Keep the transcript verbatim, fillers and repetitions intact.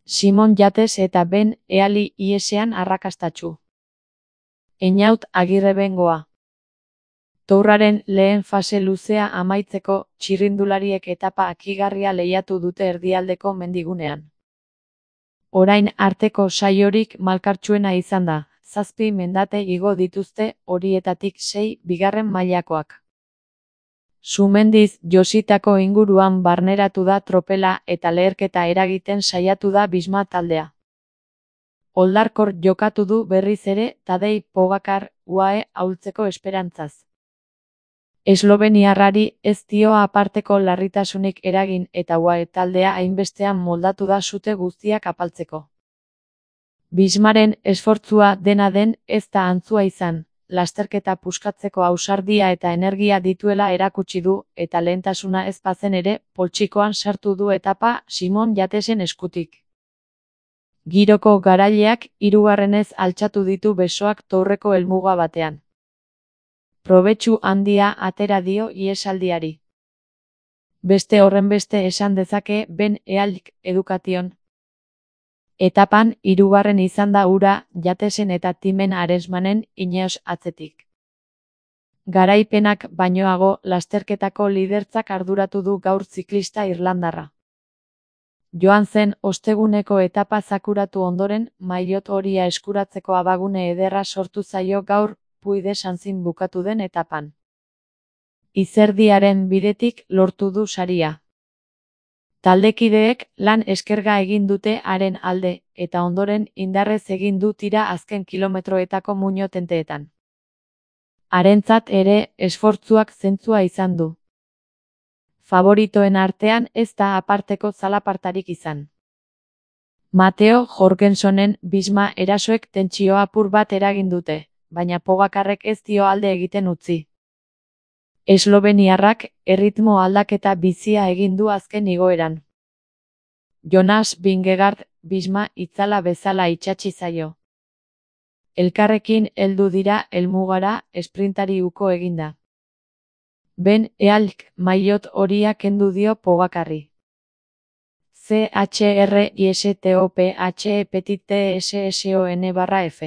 Simon Yates eta Ben Eali iesean arrakastatsu. Einaut Agirrebengoa. Tourraren lehen fase luzea amaitzeko, txirrindulariek etapa akigarria lehiatu dute erdialdeko mendigunean. Orain arteko saiorik malkartsuena izan da, zazpi mendate igo dituzte, horietatik sei bigarren mailakoak. Sumendiz jositako inguruan barneratu da tropela eta leherketa eragiten saiatu da Bisma taldea. Oldarkor jokatu du berriz ere Tadej Pogačar U A E ahultzeko esperantzaz. Esloveniarrari ez dio aparteko larritasunik eragin eta U A E taldea hainbestean moldatu da sute guztiak apaltzeko. Bismaren esfortzua dena den ez da antzua izan, lasterketa puskatzeko ausardia eta energia dituela erakutsi du eta lehentasuna ez bazen ere, poltsikoan sartu du etapa Simon Yatesen eskutik. Giroko garaileak hirugarrenez altxatu ditu besoak Tourreko helmuga batean. Probetxu handia atera dio ihesaldiari. Beste horrenbeste esan dezake Ben Ealik Education. Etapan hirugarren izan da hura Yatesen eta Timen Arensmanen Ineos atzetik. Garaipenak bainoago lasterketako lidertzak arduratu du gaur ziklista irlandarra. Joan zen osteguneko etapa zakuratu ondoren, maillot horia eskuratzeko abagune ederra sortu zaio gaur Puy de Sanzin bukatu den etapan. Izerdiaren bidetik lortu du saria. Taldekideek lan eskerga egin dute haren alde, eta ondoren indarrez egin du tira azken kilometroetako muino tenteetan. Harentzat ere esfortzuak zentzua izan du. Favoritoen artean ez da aparteko zalapartarik izan. Mateo Jorgensonen Bisma erasoek tentsio apur bat eragin dute, baina Pogačarrek ez dio alde egiten utzi. Esloveniarrak erritmo aldaketa bizia egin du azken igoeran. Jonas Vingegaard Bisma itzala bezala itsatsi zaio. Elkarrekin heldu dira helmugara esprintari uko eginda. Ben Ealik maillot horia kendu dio Pogačarri. C H R I S T O P H E petit T S S O N barra F